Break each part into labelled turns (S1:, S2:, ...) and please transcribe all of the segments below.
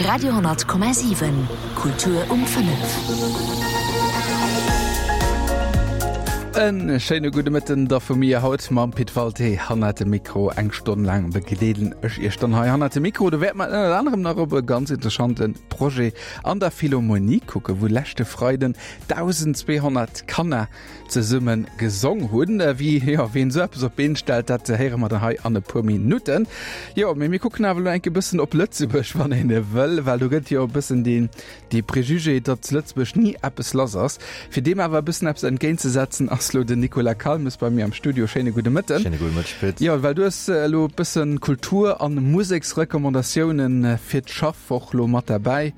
S1: Radio,7 Kultur um 5.
S2: En schéine gudde Mëtten da vu mir haut mam Pit Walté hannert dem Mikro. Eng Stonn laang begleeden ech Iech dann hei hannert dem Mikro. Do wäert mer ënnert anerem nach op e ganz interessante Projet an der Philharmonie kucken, wou leschte Freiden 1.200 Kanner zesumme gesong hunn. Wéi, jo, ween esou eppes op d'Been stellt, dat héiere mer dann hei an e puer Minutten. Jo, mee mir kucken awer elo enk e bëssen op Lëtzebuerg, wann een wëll, well do gëtt jo e bëssen deen, dee Préjugé, datt zu Lëtzebuerg ni eppes lass ass. Fir deem awer e bëssen eppes entgéintzesetzen, ass elo den Nicolas Calmes bei mir am Studio. Schéine gudde Mëtten.
S3: Schéine gudde Mëtteg, Pit.
S2: Jo, well du hues elo e bëssen Kultur an Museksrecommandatiounen fir d'Schaffwoch lo mat derbäi.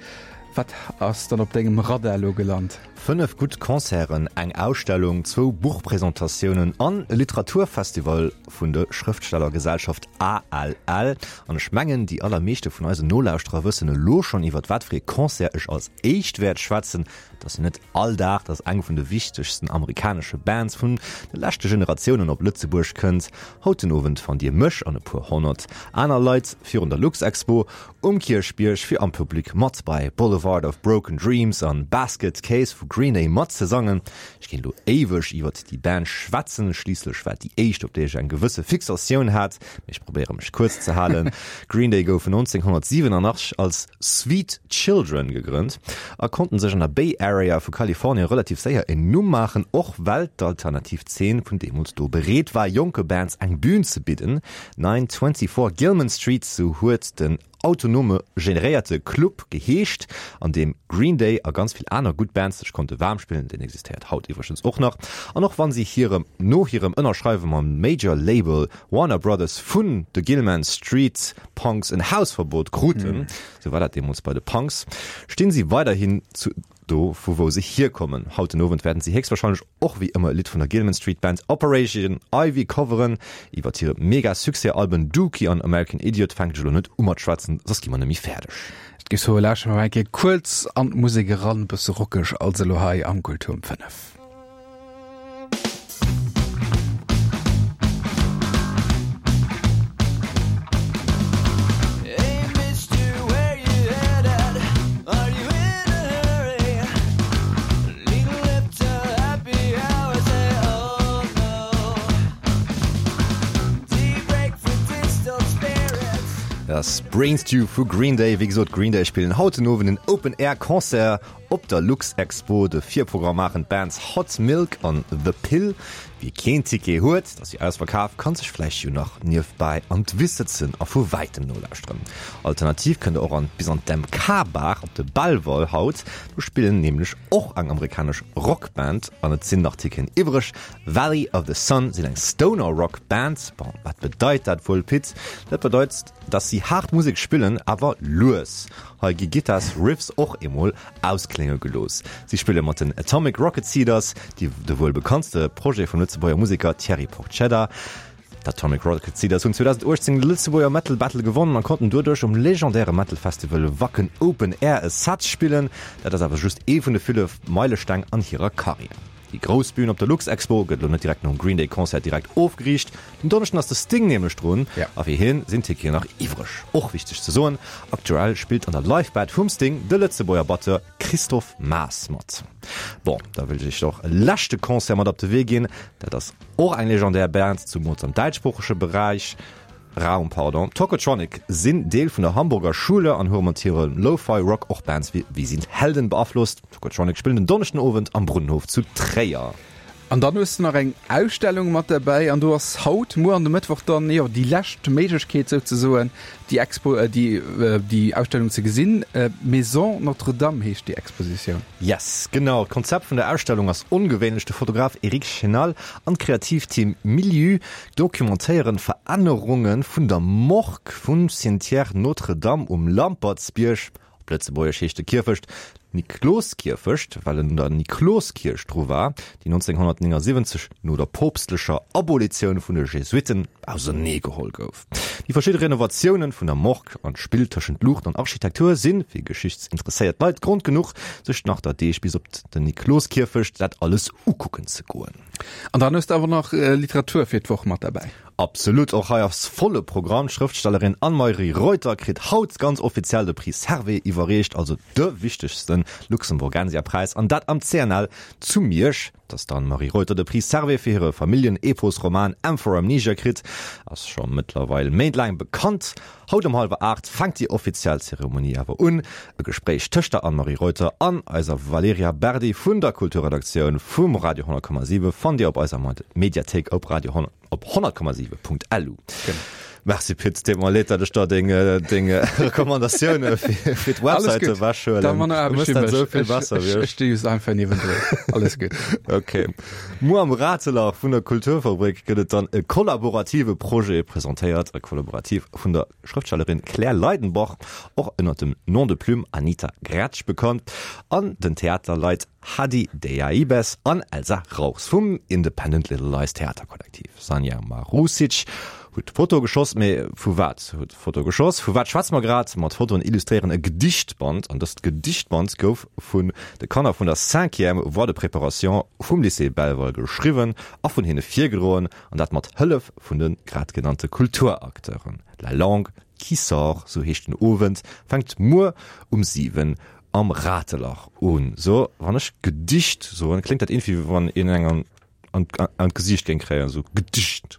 S2: Wat ass dann op dengem Radar elo gelant?
S3: 5 gutt Concerten, eng Ausstellung, zwou Buchpresentatiounen an e Literaturfestival vun de Schrëftstellergesellschaft ALL. An ech mengen, déi allermeeschte vun eisen Nolauschterer wëssen elo schonn, iwwert wat fir ee Concert ech als éischt wäert schwätzen. Et ass jo net all Dag, dass eng vun de wichtegsten amerikanesche Bands vun de leschte Generatiounen op Lëtzebuerg kënnt. Haut den Owend fannt Dir mech an e puer 100 aner Leit virun der Luxexpo Um Kierchbierg fir am Public mat bei Boulevard of Broken Dreams an Basket Case vu Green Day matzesangen. Ech kéint elo éiweg iwwert déi Band schwätzen, schliisslech war et déi éischt op déi ech eng gewësse Fixatioun hat, mee ech probéiere mech kuerz ze halen. Green Day goufen 1987 als Sweet Children gegrënnt a konnten sech an der Bay Area vu Kalifornien relativ séier en Numm maachen, och well d'alternativ Zeen vun deemools do bereet war jonke Bands eng Bün ze bidden. 924 Gilman Street, sou huet den autonome generéierte Club geheescht, an deem Green Day a ganz vill aner gutt Bands sech konnte waarm spillen. Deen existéiert haut iwwregens och nach. An och wann si hirem no hirem Ënnerschreiwe mam Major Label Warner Brothers vun de Gilman Street Punks en Hausverbot kruten, sou war dat deemools bei de Punks, stinn si weiderhin zu Do vu wou se hierkommen. Haut den Owend wäerten si héchstwahrscheinlech och wéi ëmmer e Lidd vun der Gilman Street Band Operation Ivy coveren. Iwwert hire mega Succès-Alben Dookie an American Idiot fänken ech elo net u mat schwätzen, soss gi mer net méi fäerdeg.
S2: Et géif soe lauschteren mer eng Kéier kuerz an d'Musek eran, bësse rockeg also elo hei am Kultur um 5.
S3: Das Brain Stew vu Green Day. Wéi gesot, Green Day spillen haut den Owend en Open Air Concert Op der Luxexpo de Virprogramm maachen d'Bands Hot Milk an The Pill. Wie keen Ticket huet, et ass jo ausverkaf, kann sech vläicht jo nach niewebäi an d'Wiss sëtzen a vu wäitem nolauschteren. Alternativ kënnt der och an bis an d'MK-Bar op de Belval haut, do spillen nämlech och eng amerikanesch Rockband an et sinn nach Ticketen iwwreg. Valley of the Sun sinn eng Stoner-Rock-Band. Bon, wat bedeit dat wuel, Pit? Dat bedeit, dass si haart Musek spillen, awer lues. Hei gi Gittars Riffs och emol ausklénge gelooss. Si spille mat den Atomic Rocket Seeders, déi de wuel bekanntste Projet vum Lëtzebuerger Museker Thierry Porcedda. D'Atomic Rocket Seeders hunn 2018 de Lëtzebuerger Metal Battle gewonnen a konnten doduerch um legendäre Metal Festival Wacken Open Air e Set spillen. Dat ass awer just ee vun de ville Meilesteng an hirer Karriär. Déi grouss Bühn op der Luxexpo gëtt elo net direkt nom Green Day Concert direkt ofgeriicht. Den Donneschden ass de Sting nämlech drun a fir hien sinn Ticketen nach iwwreg. Och wichteg ze soen, aktuell spillt an der Live Band vum Sting de Lëtzebuerger Batteur Christophe Maas mat. Bon, da wëll ech iech och e leschte Concert mat op de Wee ginn. Dat ass och eng legendär Band, zumools am däitschsproochege Beräich. Raum, pardon. Tocotronic sinn Deel vun der Hamburger Schule an hu mat hirem Lo-Fi Rock och Bands wéi Wir sind Helden beaflosst. Tocotronic spillen den Donneschden Owend am Brunnenhof zu Tréier.
S2: An dann hues de nach eng Ausstellung mat derbäi an do ass haut, muer an de Mëttwoch dann, jo, déi lescht Méiglechkeet souzesoen, déi Expo, déi, déi Ausstellung ze gesinn. Maison Notre-Dame heescht déi Expositioun.
S3: Yes, genau. D'Konzept vun der Ausstellung ass ongewéinlech. De Fotograf Eric Chenal an d'Kreativteam Milieu Documentéieren d'Verännerunge vun der Morgue vum Cimetière Notre-Dame um Lampertsbierg, op Lëtzebuergesch heescht de Kierfecht Nikloskierfecht, well en un der Nikloskierch dru war, déi 1979 no der poopstlecher Abolitioun vun de Jesuitten auserneegeholl gouf. Déi verschidde Renovatioune vun der Morgue an d'Spill tëschent Luucht an Architektur si fir geschichtsinteresséiert Leit Grond genuch, sech nach der Deeg bis op den Nikloskierfecht dat alles ukucken ze goen.
S2: An dann hues de awer nach Literatur fir d'Woch mat derbäi.
S3: Absolut, och hei ass volle Programm. D'Schrëftstellerin Anne-Marie Reuter kritt haut ganz offiziell de Prix Servais iwwerreecht, also de wichtegste Luxemburgensia-Präis, an dat am CNL zu Miersch. Dass d'Anne-Marie Reuter de Prix Servais fir hire Familljen-Epos-Roman M for Amnesia kritt, ass scho mëttlerweil méintlaang bekannt. Haut um hallwer 8 fänkt déi offiziell Zeremonie awer un. E Gespréich tëscht der Anne-Marie Reuter an eiser Valerija Berdi vun der Kulturredaktioun vum Radio 100,7 fannt Dir op eiser Mediathéik op Radio op 100,7.lu. Merci Pit, deet mer leed, dat ech der deng deng Recommandatioune fir fir d'Websäit ewechhuelen.
S2: Da manner Aarbecht fir mech. Esou vill besser wéi ech. Ech sti just einfach niewendrun. Alles gutt.
S3: Ok. Muer am Ratelach vun der Kulturfabrik gëtt et dann e kollaborative Projet presentéiert, e Kollaborativ vun der Schrëftstellerin Claire Leidenbach, och ënner dem Nom de plume Anita Gretsch bekannt, an den Theaterleit Hadi Deaibes an Elsa Rauchs vum Independent Little Lies Theaterkollektiv. Sanja Marusic huet d'Foto geschoss, mee vu wat huet d'Foto geschoss? Vu wat schwätze mer grad? Ma d'Fotoen illustréieren e Gedichtband an dëst Gedichtband gouf vun de Kanner vun der Cinquième voie de préparation vum Lycée Belval geschriwwen a vun hinne virgedroen an dat mat Hëllef vun de grad genannte Kulturacteuren. La langue qui sort, sou heescht den Owend, fänkt muer um 7 Am Ratelach un. So, wann ech Gedicht soen, kléngt dat iergendwéi wéi wann een eng an, an, an d'Gesiicht géing kréien, esou Gedicht.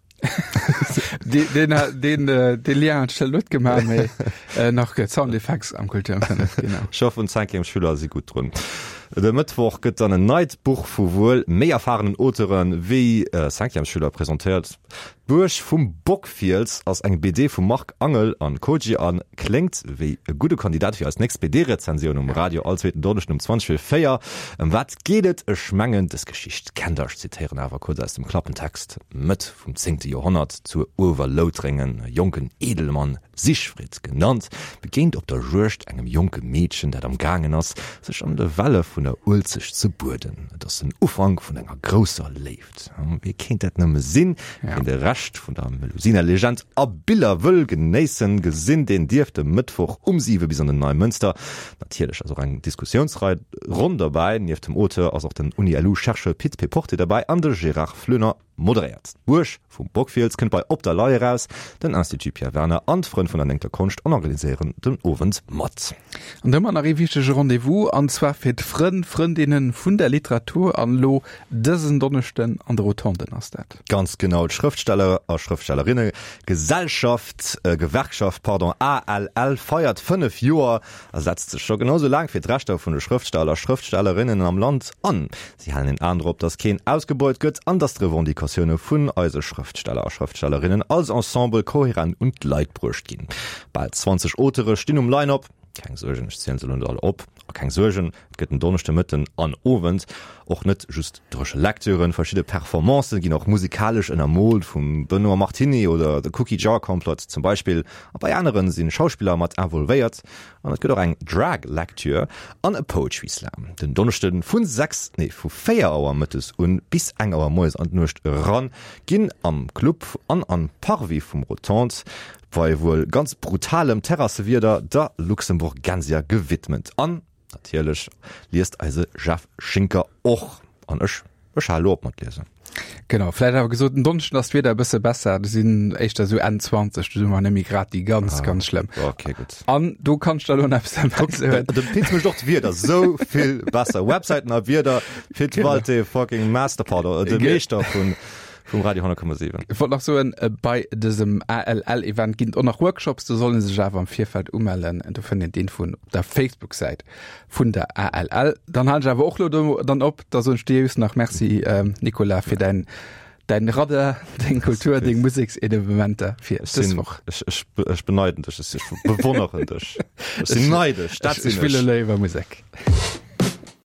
S2: Deen, deen, deen, dee Lien hat ech elo net gemaach, mee nach gëtt Sound Effects am Kultur am 5,
S3: genau. Ech hoffen, d'Cinquièmesschüler si gutt drun. De Mëttwoch gëtt dann en neit Buch vu wuel méi erfarenen Auteure wéi Cinquièmesschüler presentéiert. D'Buerg vum Bockfiels ass eng BD vum Marc Angel an Koji an kléngt wéi e gudde Kandidat fir eis nächst BD-Rezensioun um Radio all zweeten Donneschden um 20 vir 4. Ëm wat geet et? Ech mengen dës Geschicht kennt der. Ech zitéieren awer kuerz aus dem Klappentext, Mëtt vum zéngte Joerhonnert zu Uewerloutréngen, e jonken Edelmann, Sigfrid genannt, begéint op der Juegd engem jonke Meedchen, dat am gaangen ass, sech an de Welle vun der Uelzecht ze bueden. Et ass den Ufank vun enger grousser Léift. Wie kéint dat nëmme sinn? Wien de Rescht vun der Melusina-Legend a Biller wëll genéissen, gesinn, deen dierf de Mëttwoch um 7 bis an den Neimënster. Natierlech ass och eng Diskussiounsrei Ronn derbäi. Nieft dem Auteur ass och den Uni-LU-Chercheur Pit Péporté derbäi an de Gérard Floener moderéiert. D'Buerg vum Bockfiels kënnt bei Op der Lay eraus. Den Institut Pierre Werner an d'Frënn vun der Néngter Konscht organiséieren den Owend mat.
S2: An da hu mer nach ee wichtege Rendez-vous, an zwar fir d'Frënn, Frëndinne vun der Literatur. An elo Dësen Donneschden an de Rotonden ass dat.
S3: Ganz genau, d'Schrëftsteller a Schrëftstellerinne Gesellschaft, Gewerkschaft, pardon, ALL feiert 5 Joer a setzt sech scho genau sou laang fir d'Rechter vun de Schrëftsteller a Schrëftstellerinnen am Land an. Si halen een An drop, datt keen ausgebeut gëtt an datt d'Revendicatioune vun eise Schrëftsteller a Schrëftstellerinnen als Ensemble kohärent un d'Leit bruecht ginn. Bal 20 Auteure stinn um Line-Up. Keng Suergen, ech zielen se elo net all op. A keng Suergen, et gëtt en Donneschde Mëtten an Owend och net just dréche Lecturen. Verschidde Performancen ginn och musikalesch ënnermoolt vum Benoît Martiny oder The Cookie Jar Complot zum Beispill. A bei aneren si Schauspiller mat involvéiert. An et gëtt och eng Drag Lecture an e Poetry Slam den Donneschde vu 6, nee vu 4 Auer mëttes un bis eng Auer moies an d'Nuecht eran ginn am Club an am Parvis vum Rotondes Bei wuel ganz brutalem Terrassewieder der Luxemburgensia gewidmet. An natierlech liest eise Jeff Schinker och. An ech, ech hale lo op mat liesen.
S2: Genau, vläicht awer gesot, en Donneschden ass d'Wieder e bësse besser, do sinn éischter esou Enn 20, do si mer net méi grad déi ganz, ganz schlëmm.
S3: Ok, gutt.
S2: An do kann ech der elo nach eppes derbäi
S3: soen. De Pit mécht och d'Wieder esou vill besser. Websäiten a Wieder, Pit Walté, fucking Master, pardon, de Meeschter vun. Vum Radio 100,7.
S2: Ech wollt nach soen, bei dësem ALL-Event ginn et och nach Workshops, do soll ee sech awer am Virfeld umellen. Do fënnt een d'Infoen op der Facebook-Säit vun der ALL. Dann halen ech awer och lo do dann op. Da soen ech dir just nach Merci, Nicolas, fir däin, däin Radar, deng Kultur, deng Museksevenementer fir dës Woch.
S3: Ech, ech, ech beneiden dech, ech bewonneren dech. Ech sinn neidesch,
S2: dat sinn ech. Ech spille léiwer Musek.